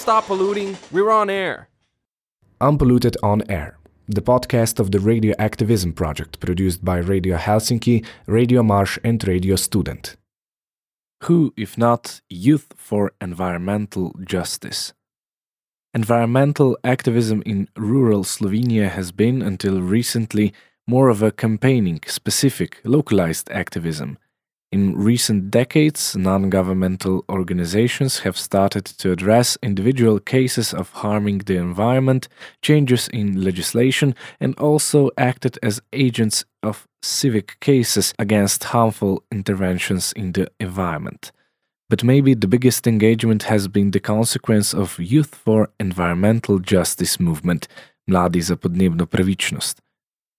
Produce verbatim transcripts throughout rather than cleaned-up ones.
stop polluting, we're on air. Unpolluted on Air, the podcast of the Radio Activism Project produced by Radio Helsinki, Radio Marsh and Radio Student. Who, if not Youth for Environmental Justice? Environmental activism in rural Slovenia has been, until recently, more of a campaigning, specific, localized activism. In recent decades, non-governmental organizations have started to address individual cases of harming the environment, changes in legislation, and also acted as agents of civic cases against harmful interventions in the environment. But maybe the biggest engagement has been the consequence of Youth for Environmental Justice movement, Mladi za podnebno pravičnost.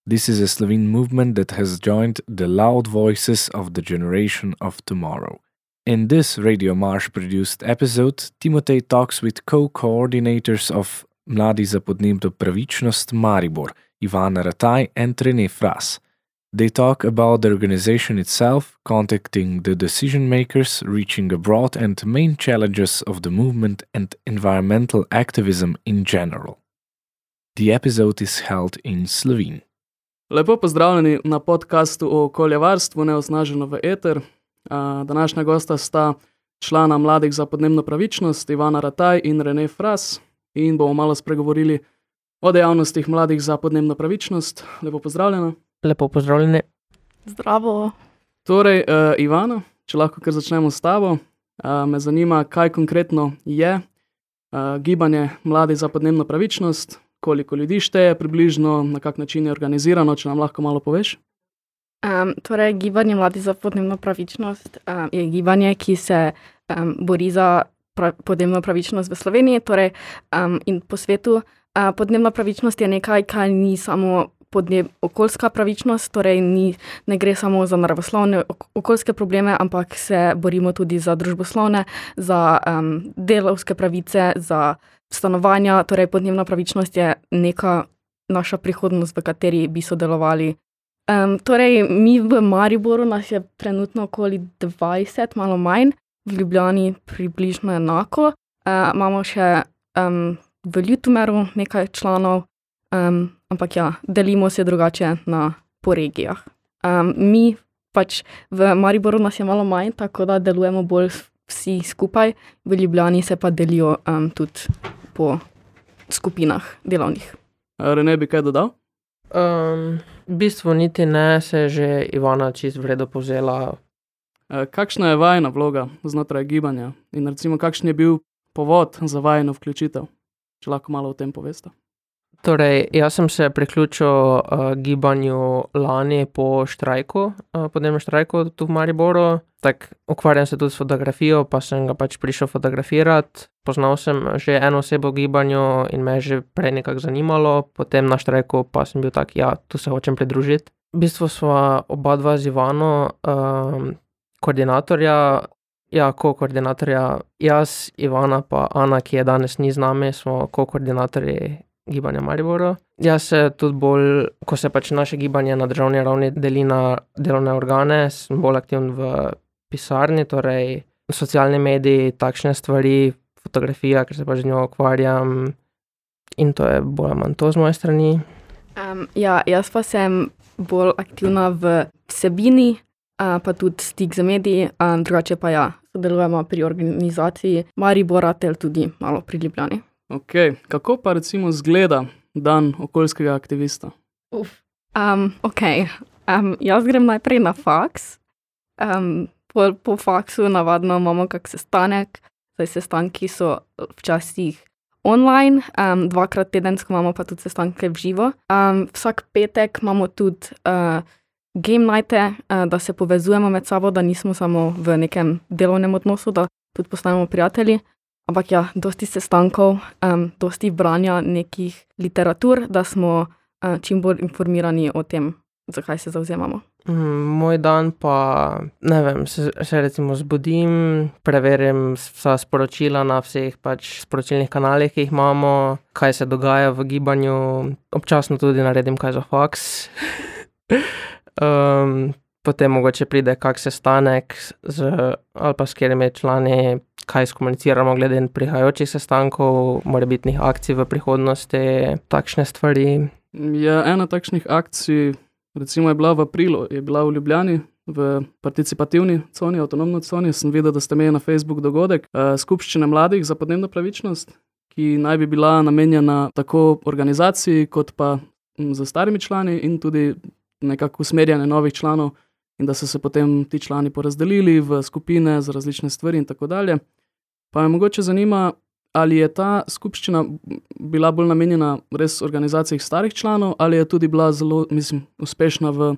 This is a Slovene movement that has joined the loud voices of the generation of tomorrow. In this Radio Marsh-produced episode, Timotej talks with co-coordinators of Mladi za podnebno pravičnost Maribor, Ivana Rataj and René Fras. They talk about the organization itself, contacting the decision-makers, reaching abroad, and main challenges of the movement and environmental activism in general. The episode is held in Slovene. Lepo pozdravljeni na podcastu o okoljevarstvu Neosnaženo v eter. Današnja gosta sta člana Mladih za podnebno pravičnost, Ivana Rataj in René Fras, in bomo malo spregovorili o dejavnostih Mladih za podnebno pravičnost. Lepo pozdravljena. Lepo pozdravljeni. Zdravo. Torej, uh, Ivana, če lahko kar začnemo s tabo, uh, me zanima, kaj konkretno je uh, gibanje Mladih za podnebno pravičnost, koliko ljudi šteje približno, na kak način je organizirano, če nam lahko malo poveš? Um, torej, gibanje Mladih za podnebno pravičnost um, je gibanje, ki se um, bori za pra- podnebno pravičnost v Sloveniji, torej, um, in po svetu. Uh, podnebna pravičnost je nekaj, kar ni samo podneb, okoljska pravičnost, torej ni, ne gre samo za naravoslovne ok- okoljske probleme, ampak se borimo tudi za družboslovne, za um, delavske pravice, za stanovanja, torej podnebna pravičnost je neka naša prihodnost, v kateri bi sodelovali. Um, torej, mi v Mariboru nas je trenutno okoli dvajset, malo manj, v Ljubljani približno enako. Uh, imamo še um, v Ljutomeru nekaj članov, um, ampak ja, delimo se drugače na, po regijah. Um, mi pač v Mariboru nas je malo manj, tako da delujemo bolj vsi skupaj, v Ljubljani se pa delijo um, tudi po skupinah delovnih. René, bi kaj dodal? Um, v bistvu niti ne, se je že Ivana čisto v redu povzela. E, kakšna je vajna vloga znotraj gibanja in recimo kakšen je bil povod za vajno vključitev? Če lahko malo o tem poveste. Torej, jaz sem se priključil uh, gibanju lani po štrajku, uh, podnebnem štrajku tu v Mariboru. Tak, ukvarjam se tudi s fotografijo, pa sem ga pač prišel fotografirati. Poznal sem že eno osebo v gibanju in me je že prej nekako zanimalo. Potem na štrajku pa sem bil tak, ja, tu se hočem pridružiti. V bistvu sva oba dva z Ivano, um, koordinatorja, ja, ko-koordinatorja, jaz, Ivana pa Ana, ki je danes ni z nami, smo ko-koordinatorji gibanja Mariboru. Jaz se tudi bolj, ko se pač naše gibanje na državni ravni deli na delovne organe, sem bolj aktivn v pisarni, torej socialni mediji, takšne stvari, fotografija, ker se pač z njo ukvarjam, in to je bolj ali manj to z moje strani. Um, ja, jaz pa sem bolj aktivna v vsebini, uh, pa tudi stik z mediji, um, drugače pa ja, sodelujemo pri organizaciji Maribora, tel tudi malo pri Ljubljani. Ok, kako pa recimo zgleda dan okoljskega aktivista? Uf, um, ok, um, jaz grem najprej na faks. Um, po, po faksu navadno imamo kak sestanek, zdaj sestanki so včasih online, um, dvakrat tedensko imamo pa tudi sestanke v živo. Um, vsak petek imamo tudi uh, game nighte, uh, da se povezujemo med sabo, da nismo samo v nekem delovnem odnosu, da tudi postanemo prijatelji. Ampak ja, dosti sestankov, um, dosti branja nekih literatur, da smo uh, čim bolj informirani o tem, zakaj se zavzemamo. Mm, moj dan pa, ne vem, se, se recimo zbudim, preverim vsa sporočila na vseh pač sporočilnih kanalih, ki jih imamo, kaj se dogaja v gibanju, občasno tudi naredim kaj za faks. um, potem mogoče pride kak sestanek z, ali pa s katerimi člani, kaj skomuniciramo glede prihajajočih sestankov, morebitnih akcij v prihodnosti, takšne stvari. Ja, ena takšnih akcij, recimo je bila v aprilu, je bila v Ljubljani, v participativni coni, avtonomno coni. Sem videl, da ste imeli na Facebook dogodek uh, skupščine mladih za podnebno pravičnost, ki naj bi bila namenjena tako organizaciji, kot pa m, za starimi člani in tudi nekako usmerjanje novih članov, in da so se potem ti člani porazdelili v skupine za različne stvari in tako dalje. Pa me mogoče zanima, ali je ta skupščina bila bolj namenjena res organizaciji starih članov, ali je tudi bila zelo, mislim, uspešna v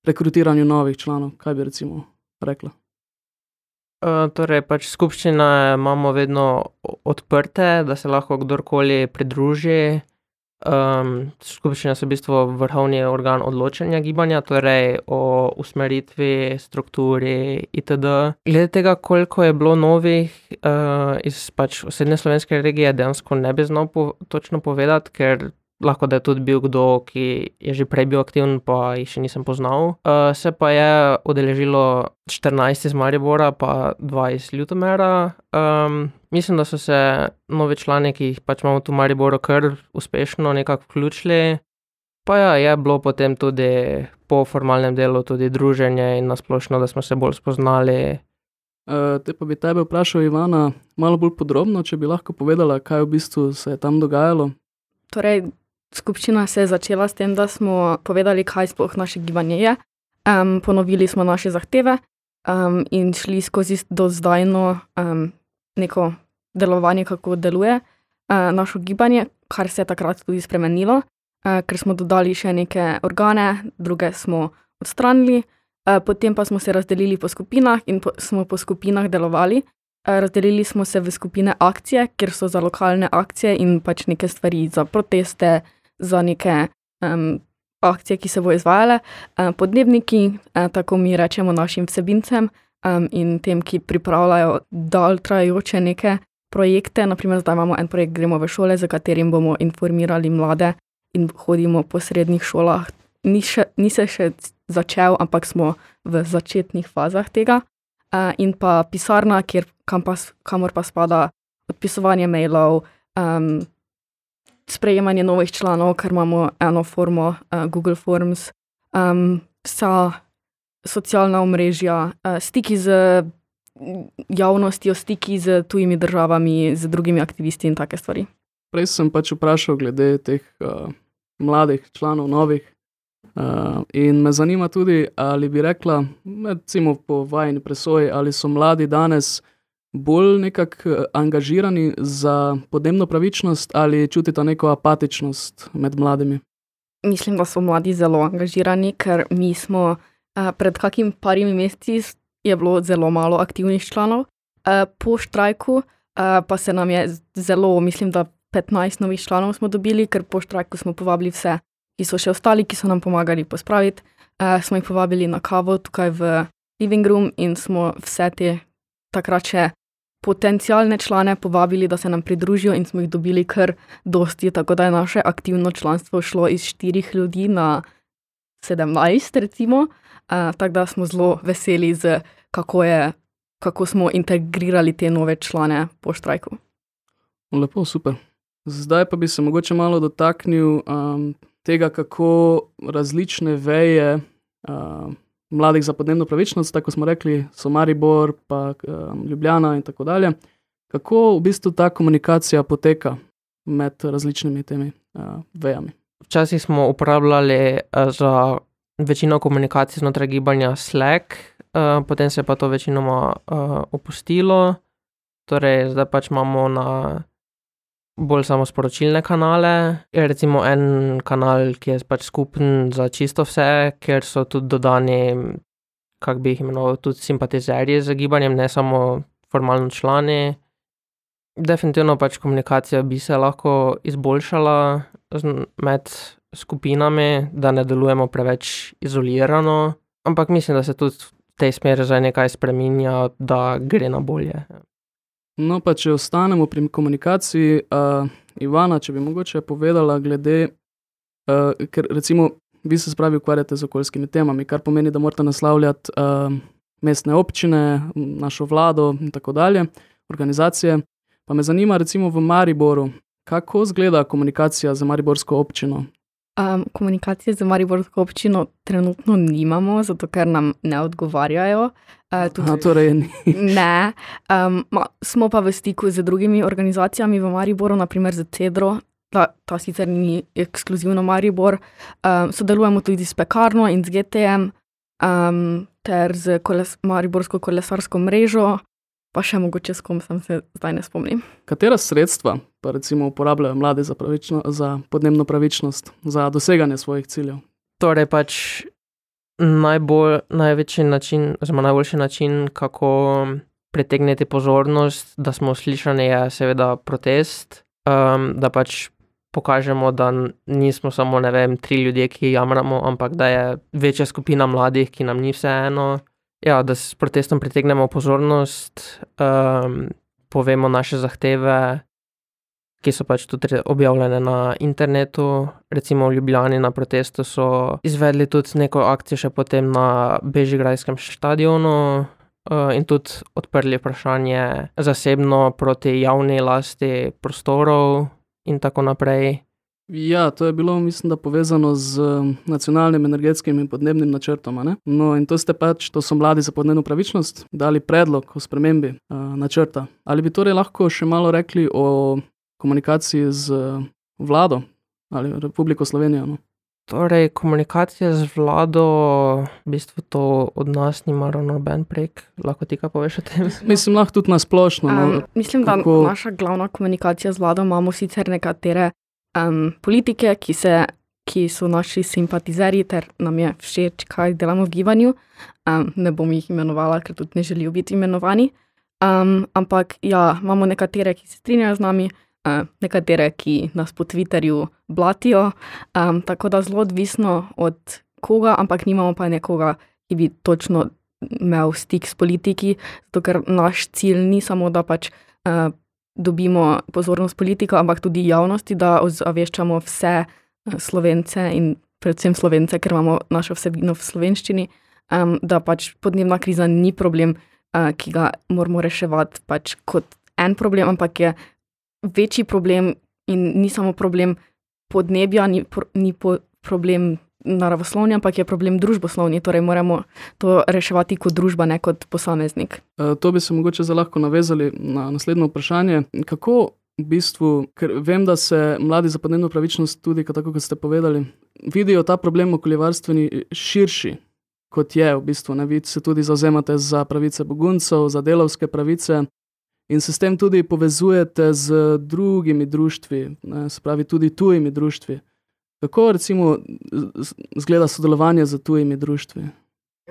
rekrutiranju novih članov, kaj bi recimo rekla? Uh, torej, pač skupščine imamo vedno odprte, da se lahko kdorkoli pridruži. Um, skupščine so v bistvu vrhovni organ odločanja gibanja, torej o usmeritvi, strukturi itd. Glede tega, koliko je bilo novih uh, iz pač osrednje slovenske regije, dejansko ne bi znal po, točno povedati, ker lahko da je tudi bil kdo, ki je že prej bil aktiven, pa jih še nisem poznal. Uh, se pa je udeležilo štirinajst iz Maribora, pa dva iz Ljutomera. Um, mislim, da so se novi člani, ki jih pač imamo tu v Mariboru, kar uspešno nekako vključili. Pa ja, je bilo potem tudi po formalnem delu tudi druženje in nasplošno, da smo se bolj spoznali. Uh, te pa bi tebe vprašal, Ivana, malo bolj podrobno, če bi lahko povedala, kaj v bistvu se je tam dogajalo. Torej, skupščina se je začela s tem, da smo povedali, kaj sploh naše gibanje je. Um, ponovili smo naše zahteve um, in šli skozi dozdajno um, neko delovanje, kako deluje uh, našo gibanje, kar se je takrat tudi spremenilo, uh, ker smo dodali še neke organe, druge smo odstranili, uh, potem pa smo se razdelili po skupinah in po, smo po skupinah delovali. Razdelili smo se v skupine akcije, kjer so za lokalne akcije in pač neke stvari za proteste, za neke um, akcije, ki se bo izvajale. Um, podnebniki, um, tako mi rečemo našim vsebincem um, in tem, ki pripravljajo dalj trajajoče neke projekte. Naprimer, zdaj imamo en projekt Gremo v šole, za katerim bomo informirali mlade in hodimo po srednjih šolah. Ni, še, ni se še začel, ampak smo v začetnih fazah tega. Uh, in pa pisarna, kjer, kam pa, kamor pa spada odpisovanje mailov, um, sprejemanje novih članov, ker imamo eno formo uh, Google Forms, um, vsa socialna omrežja, uh, stiki z javnostjo, stiki z tujimi državami, z drugimi aktivisti in take stvari. Prej sem pač vprašal glede teh uh, mladih članov, novih. Uh, in me zanima tudi, ali bi rekla, recimo po vajini presoji, ali so mladi danes bolj nekako angažirani za podnebno pravičnost ali čutita neko apatičnost med mladimi? Mislim, da so mladi zelo angažirani, ker mi smo uh, pred kakim parimi meseci je bilo zelo malo aktivnih članov. Uh, po štrajku uh, pa se nam je zelo, mislim, da petnajst novih članov smo dobili, ker po štrajku smo povabili vse, ki so še ostali, ki so nam pomagali pospraviti. Uh, smo jih povabili na kavo tukaj v living room in smo vse te takrat še potencialne člane povabili, da se nam pridružijo in smo jih dobili kar dosti, tako da je naše aktivno članstvo šlo iz štirih ljudi na sedemnajst recimo. Uh, tako da smo zelo veseli, z, kako, je, kako smo integrirali te nove člane po štrajku. Lepo, super. Zdaj pa bi se mogoče malo dotaknil um, tega, kako različne veje uh, mladih za podnebno pravičnost, tako smo rekli, so Maribor, pa um, Ljubljana in tako dalje. Kako v bistvu ta komunikacija poteka med različnimi temi uh, vejami? Včasih smo uporabljali uh, za večino komunikacij znotraj gibanja Slack, uh, potem se je pa to večinoma uh, opustilo. Torej, zdaj pač imamo na bolj samo sporočilne kanale. Je recimo en kanal, ki je pač skupen za čisto vse, ker so tudi dodani, kak bi jih imenoval, tudi simpatizerji z gibanjem, ne samo formalno člani. Definitivno pač komunikacija bi se lahko izboljšala med skupinami, da ne delujemo preveč izolirano, ampak mislim, da se tudi v tej smeri zdaj nekaj spreminja, da gre na bolje. No, pa če ostanemo pri komunikaciji, uh, Ivana, če bi mogoče povedala glede, uh, ker recimo vi se spravi ukvarjate z okoljskimi temami, kar pomeni, da morate naslavljati uh, mestne občine, našo vlado in tako dalje, organizacije. Pa me zanima recimo v Mariboru, kako izgleda komunikacija z mariborsko občino? Um, komunikacije z mariborsko občino trenutno nimamo, zato ker nam ne odgovarjajo. Uh, tudi, A, torej ni. Ne. Um, ma, smo pa v stiku z drugimi organizacijami v Mariboru, naprimer z Cedro, ta, ta sicer ni ekskluzivno Maribor. Um, sodelujemo tudi s Pekarno in z G T M, um, ter z koles, mariborsko kolesarsko mrežo, pa še mogoče s kom sem se zdaj ne spomnim. Katera sredstva pa recimo uporabljajo mladi za, pravično, za podnebno pravičnost, za doseganje svojih ciljev? Torej pač najbolj, največji način, oziroma najboljši način, kako pritegniti pozornost, da smo slišani, je seveda protest, um, da pač pokažemo, da nismo samo, ne vem, tri ljudje, ki jamramo, ampak da je večja skupina mladih, ki nam ni vseeno. Ja, da s protestom pritegnemo pozornost, um, povemo naše zahteve, ki so pač tudi objavljene na internetu. Recimo v Ljubljani na protestu so izvedli tudi neko akcijo še potem na Bežigrajskem stadionu uh, in tudi odprli vprašanje zasebno proti javni lasti prostorov in tako naprej. Ja, to je bilo, mislim, da povezano z nacionalnim energetskim in podnebnim načrtom, ne? No, in to ste pač, to so mladi za podnebno pravičnost, dali predlog o spremembi uh, načrta. Ali bi torej lahko še malo rekli o komunikaciji z vlado ali Republiko Slovenijo? No? Torej, komunikacija z vlado, v bistvu to od nas nima ravno noben prek. Lahko ti kaj poveš o tem? Mislim, lahko tudi nasplošno. No? Um, mislim, Kako... da naša glavna komunikacija z vlado imamo sicer nekatere Um, politike, ki, se, ki so naši simpatizeri, ter nam je všeč, kaj delamo v gibanju. Um, ne bom jih imenovala, ker tudi ne želijo biti imenovani. Um, ampak ja, imamo nekatere, ki se strinjajo z nami, uh, nekatere, ki nas po Twitterju blatijo. Um, tako da zelo odvisno od koga, ampak nimamo pa nekoga, ki bi točno imel stik s politiki, zato ker naš cilj ni samo, da pač uh, dobimo pozornost politika, ampak tudi javnosti, da ozaveščamo vse Slovence in predvsem Slovence, ker imamo našo vsebino v slovenščini, um, da pač podnebna kriza ni problem, uh, ki ga moramo reševati pač kot en problem, ampak je večji problem in ni samo problem podnebja, ni, pro, ni po, problem naravoslovni, ampak je problem družboslovni, torej moramo to reševati kot družba, ne kot posameznik. E, to bi se mogoče za lahko navezali na naslednje vprašanje. Kako v bistvu, ker vem, da se mladi za podnebno pravičnost tudi, tako kot ste povedali, vidijo ta problem okoljevarstveni širši, kot je v bistvu. Ne? Vi se tudi zavzemate za pravice beguncev, za delavske pravice in se s tem tudi povezujete z drugimi društvi, ne? Se pravi tudi tujimi društvi. Kako recimo izgleda sodelovanje z tujimi društvi,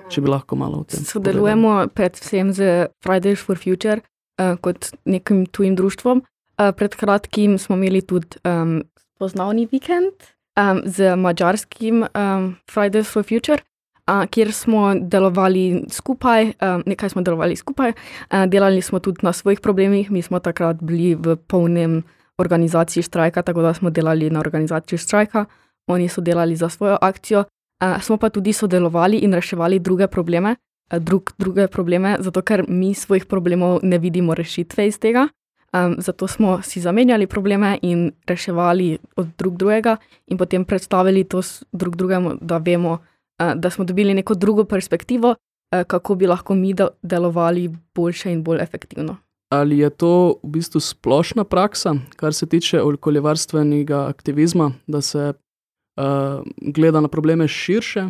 če bi lahko malo o tem Sodelujemo povedali? Predvsem z Fridays for Future uh, kot nekim tujim društvom. Uh, pred kratkim smo imeli tudi um, spoznavni vikend um, z mađarskim um, Fridays for Future, uh, kjer smo delovali skupaj, um, nekaj smo delovali skupaj, uh, delali smo tudi na svojih problemih, mi smo takrat bili v polnem organizaciji štrajka, tako da smo delali na organizaciji štrajka, oni so delali za svojo akcijo, uh, smo pa tudi sodelovali in reševali druge probleme, uh, drug, druge probleme, zato ker mi svojih problemov ne vidimo rešitve iz tega, um, zato smo si zamenjali probleme in reševali od drug drugega in potem predstavili to drug drugemu, da vemo, uh, da smo dobili neko drugo perspektivo, uh, kako bi lahko mi delovali boljše in bolj efektivno. Ali je to v bistvu splošna praksa, kar se tiče okoljevarstvenega aktivizma, da se uh, gleda na probleme širše,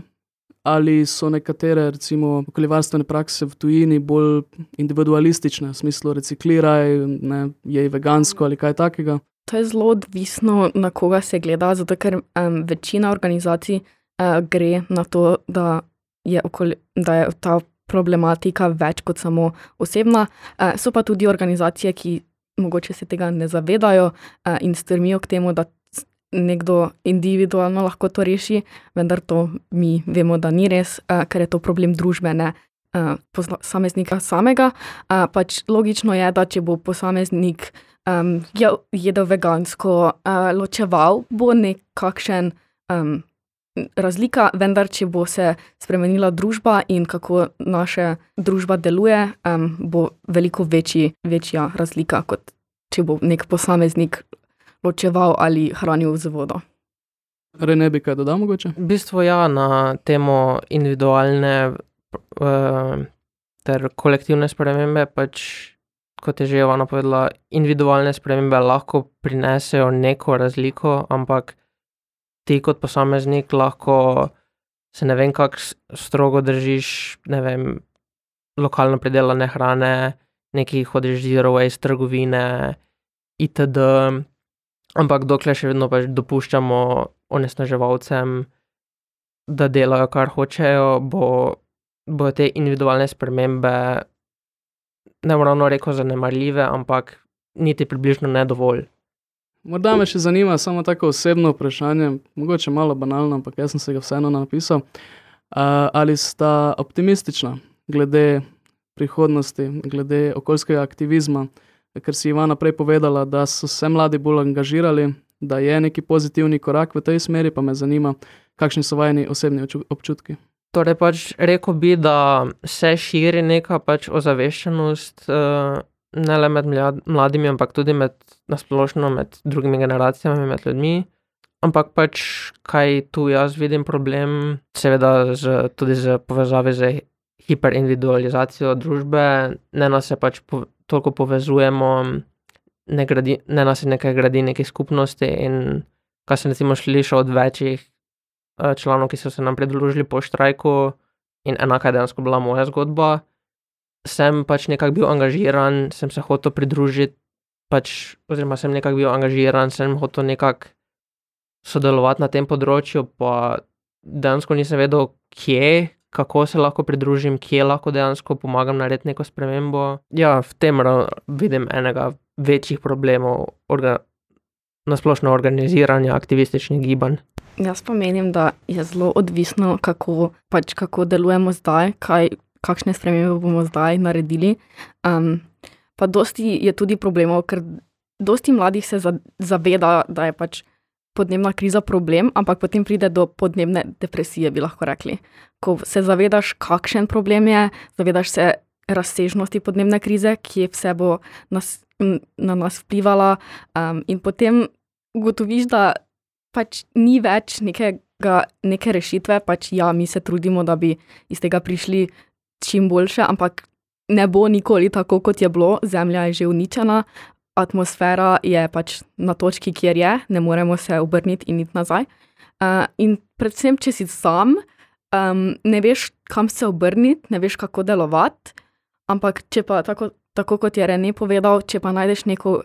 ali so nekatere, recimo, okoljevarstvene prakse v tujini bolj individualistične, v smislu recikliraj, ne, jej vegansko ali kaj takega? To je zelo odvisno, na koga se gleda, zato ker um, večina organizacij uh, gre na to, da je, okolje, da je ta problematika več kot samo osebna. Uh, so pa tudi organizacije, ki mogoče se tega ne zavedajo uh, in strmijo k temu, da nekdo individualno lahko to reši, vendar to mi vemo, da ni res, uh, ker je to problem družbe, ne uh, posameznika samega. Uh, pač logično je, da če bo posameznik um, jedel vegansko, uh, ločeval, bo nekakšen um, razlika, vendar če bo se spremenila družba in kako naša družba deluje, um, bo veliko večji, večja razlika, kot če bo nek posameznik ločeval ali hranil z vodo. Rene, bi kaj dodal mogoče? V bistvu ja, na temo individualne uh, ter kolektivne spremembe, pač, kot je že Ivana povedala, individualne spremembe lahko prinesejo neko razliko, ampak ti kot posameznik lahko se ne vem kako strogo držiš, ne vem, lokalno pridelane hrane, neki hodiš zero waste trgovine itd. Ampak dokler še vedno pač dopuščamo onesnaževalcem, da delajo kar hočejo, bo, bo te individualne spremembe ne bom ravno rekel zanemarljive, ampak niti približno ne dovolj. Morda me še zanima samo tako osebno vprašanje, mogoče malo banalno, ampak jaz sem se ga vseeno napisal. Uh, ali sta optimistična glede prihodnosti, glede okoljskega aktivizma, ker si Ivana prej povedala, da so se mladi bolj angažirali, da je neki pozitivni korak v tej smeri, pa me zanima, kakšni so vajeni osebni občutki. Torej pač rekel bi, da se širi neka pač ozaveščenost, uh, ne le med mladimi, ampak tudi med, nasplošno med drugimi generacijami, med ljudmi. Ampak pač, kaj tu jaz vidim problem, seveda z, tudi z povezavi z hiperindividualizacijo družbe, ne nas se pač po, toliko povezujemo, ne, gradi, ne nas se nekaj gradi neki skupnosti in kaj sem recimo slišal od večjih uh, članov, ki so se nam pridružili po štrajku in enaka je dejansko bila moja zgodba, sem pač nekako bil angažiran, sem se hotel pridružiti, pač, oziroma sem nekako bil angažiran, sem hotel nekako sodelovati na tem področju, pa dejansko nisem vedel, kje, kako se lahko pridružim, kje lahko dejansko pomagam narediti neko spremembo. Ja, v tem vidim enega večjih problemov orga, nasplošno organiziranja aktivističnih gibanj. Jaz pa menim, da je zelo odvisno, kako, pač, kako delujemo zdaj, kaj, kakšne spremembe bomo zdaj naredili. Um, pa dosti je tudi problemov, ker dosti mladih se zaveda, da je pač podnebna kriza problem, ampak potem pride do podnebne depresije, bi lahko rekli. Ko se zavedaš, kakšen problem je, zavedaš se razsežnosti podnebne krize, ki vse bo nas, na nas vplivala um, in potem ugotoviš, da pač ni več nekega, neke rešitve, pač ja, mi se trudimo, da bi iz tega prišli čim boljše, ampak ne bo nikoli tako, kot je bilo, zemlja je že uničena, atmosfera je pač na točki, kjer je, ne moremo se obrniti in iti nazaj. Uh, in predvsem, če si sam, um, ne veš, kam se obrniti, ne veš, kako delovati, ampak če pa, tako, tako kot je Rene povedal, če pa najdeš neko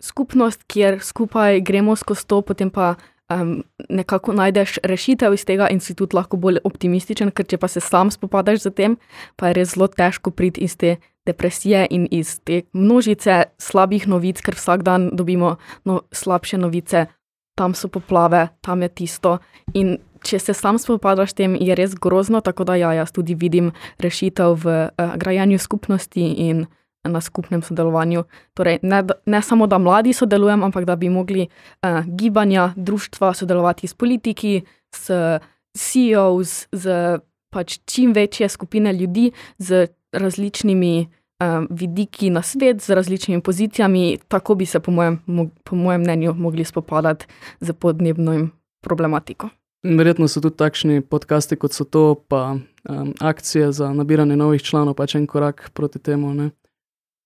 skupnost, kjer skupaj gremo skozi to, potem pa um, nekako najdeš rešitev iz tega in si tudi lahko bolj optimističen, ker če pa se sam spopadaš z tem, pa je res zelo težko priti iz te depresije in iz te množice slabih novic, ker vsak dan dobimo no, slabše novice, tam so poplave, tam je tisto in če se sam spopadaš s tem, je res grozno, tako da ja, jaz tudi vidim rešitev v uh, grajenju skupnosti in na skupnem sodelovanju. Torej, ne, ne samo, da mladi sodelujem, ampak da bi mogli uh, gibanja, društva sodelovati s politiki, s C E Os, z pač čim večje skupine ljudi, z različnimi um, vidiki na svet, z različnimi pozicijami, tako bi se po mojem, mo, po mojem mnenju mogli spopadati z podnebno problematiko. Verjetno so tudi takšni podcasti, kot so to, pa um, akcije za nabiranje novih članov, pač en korak proti temu, ne?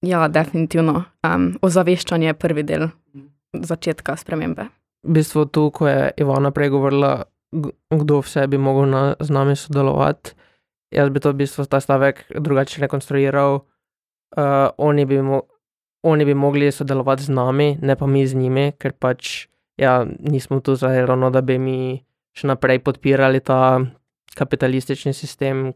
Ja, definitivno. Um, ozaveščanje je prvi del začetka spremembe. V bistvu tu, ko je Ivana prej govorila, kdo vse bi mogel na, z nami sodelovati, jaz bi to v bistvu ta stavek drugače rekonstruiral. Uh, oni, bi mo- oni bi mogli sodelovati z nami, ne pa mi z njimi, ker pač ja, nismo tu zdaj ravno, da bi mi še naprej podpirali ta kapitalistični sistem,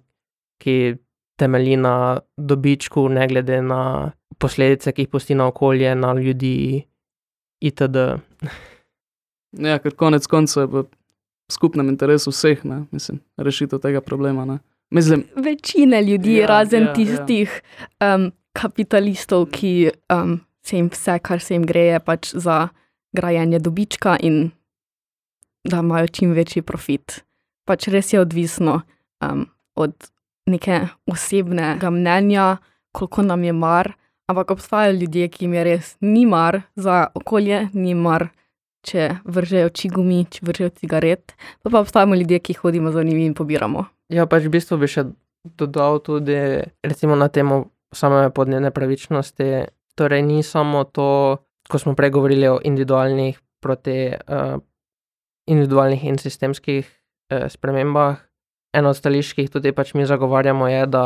ki temelji na dobičku, ne glede na posledice, ki jih pusti na okolje, na ljudi itd. Ja, ker konec koncev je v skupnem interesu vseh, ne, mislim, rešitev tega problema, ne. Mislim, večine ljudi, ja, razen ja, tistih ja. Um, kapitalistov, ki um, se jim vse, kar se jim gre, je pač za grajenje dobička in da imajo čim večji profit. pač res je odvisno um, od neke osebnega mnenja, koliko nam je mar, ampak obstajajo ljudje, ki jim je res ni mar za okolje, ni mar, če vržejo čigumi, če vržejo cigaret, pa pa obstajamo ljudje, ki hodimo za njimi in pobiramo. Ja, pač v bistvu bi še dodal tudi, recimo na temo same podnebne pravičnosti, torej ni samo to, ko smo prej govorili o individualnih proti uh, individualnih in sistemskih uh, spremembah. Eno od stališč, ki jih tudi pač mi zagovarjamo, je, da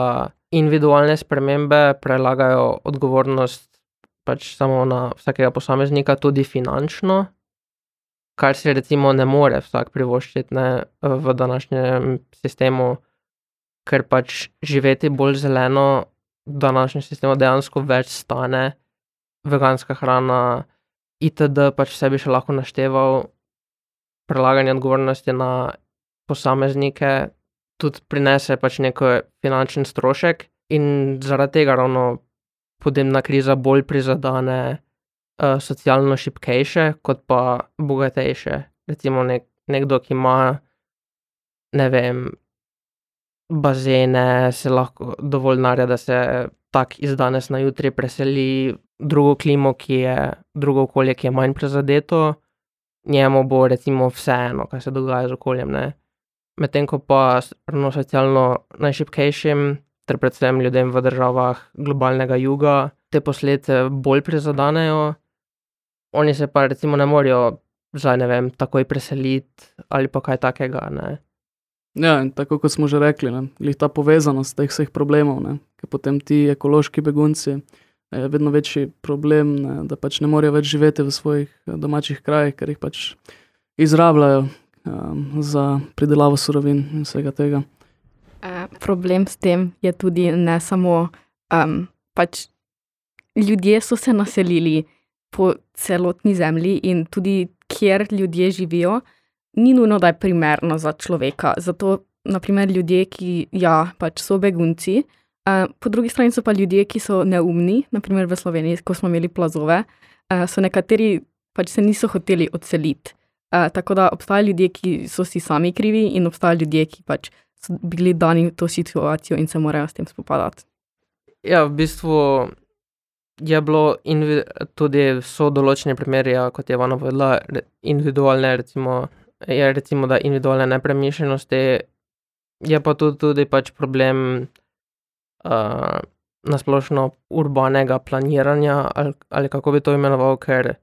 individualne spremembe prelagajo odgovornost pač samo na vsakega posameznika, tudi finančno, kar si recimo ne more vsak privoščiti ne, v današnjem sistemu, ker pač živeti bolj zeleno v današnjem sistemu dejansko več stane, veganska hrana, itd. Pač vse bi še lahko našteval, prelaganje odgovornosti na posameznike tudi prinese pač neko finančen strošek in zaradi tega ravno podnebna kriza bolj prizadane uh, socialno šibkejše kot pa bogatejše. Recimo nek, nekdo, ki ima, ne vem, bazene, se lahko dovolj denarja, da se tak iz danes na jutri preseli drugo klimo, ki je, drugo okolje, ki je manj prizadeto, njemu bo recimo vseeno, kaj se dogaja z okoljem, ne. Medtem ko pa ravno socialno najšibkejšim, ter predvsem ljudem v državah globalnega juga, te posledice bolj prizadanejo, oni se pa recimo ne morejo zdaj, ne vem, takoj preseliti ali pa kaj takega, ne. Ja, in tako kot smo že rekli, ne, glih ta povezanost teh vseh problemov, ne, ker potem ti ekološki begunci je vedno večji problem, ne, da pač ne morejo več živeti v svojih domačih krajih, ker jih pač izrabljajo um, za pridelavo surovin in vsega tega. Uh, problem s tem je tudi ne samo, um, pač ljudje so se naselili po celotni zemlji in tudi kjer ljudje živijo, ni nujno, da je primerno za človeka. Zato, na primer, ljudje, ki ja, pač so begunci, uh, po drugi strani so pa ljudje, ki so neumni, na primer v Sloveniji, ko smo imeli plazove, uh, so nekateri pač se niso hoteli odseliti. Uh, tako da obstajajo ljudje, ki so si sami krivi in obstajajo ljudje, ki pač so bili dani v to situacijo in se morajo s tem spopadati. Ja, v bistvu je bilo invi- tudi so določeni primeri, ja, kot je Ivana povedala, individualne, recimo, je recimo, da individualne nepremišljenosti, je pa tudi, tudi pač problem uh, nasplošno urbanega planiranja, ali, ali kako bi to imenoval, ker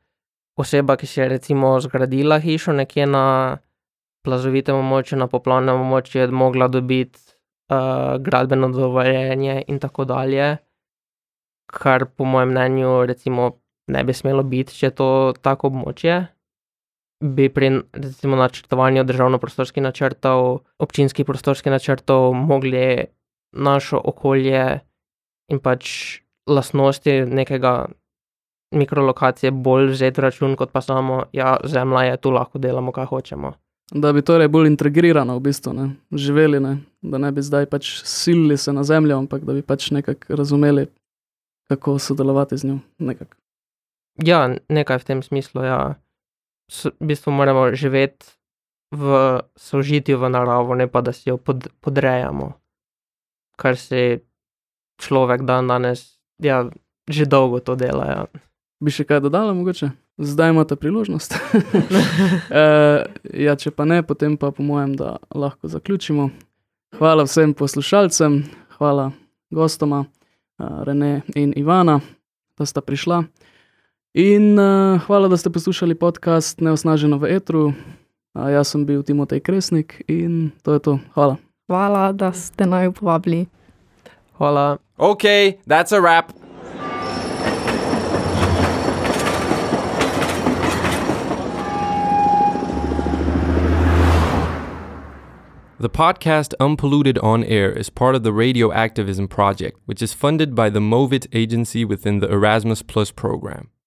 oseba, ki si je recimo zgradila hišo nekje na plazovitem območju, na poplavnem območju, je mogla dobiti uh, gradbeno dovoljenje in tako dalje, kar po mojem mnenju recimo ne bi smelo biti, če je to tako območje. Bi pri recimo načrtovanju državno-prostorskih načrtov, občinskih prostorskih načrtov mogli našo okolje in pač lastnosti nekega mikrolokacije bolj vzeti v račun, kot pa samo, ja, zemlja je, tu lahko delamo, kaj hočemo. Da bi torej bolj integrirano v bistvu, ne, živeli, ne, da ne bi zdaj pač silili se na zemljo, ampak da bi pač nekako razumeli, kako sodelovati z njo, nekako. Ja, nekaj v tem smislu, ja. S, v bistvu moramo živeti v sožitju v naravo, ne pa da si jo pod, podrejamo, kar si človek dan danes, ja, že dolgo to dela, ja. Bi še kaj dodala mogoče? Zdaj imate priložnost. uh, ja, če pa ne, potem pa po mojem, da lahko zaključimo. Hvala vsem poslušalcem, hvala gostoma, uh, Rene in Ivana, da sta prišla. In uh, hvala, da ste poslušali podcast Neosnaženo v etru. Uh, jaz sem bil Timotej Kresnik in to je to. Hvala. Hvala, da ste naju povabili. Hvala. Okay, that's a wrap. The podcast Unpolluted on Air is part of the Radio Activism Project, which is funded by the MOVIT agency within the Erasmus Plus program.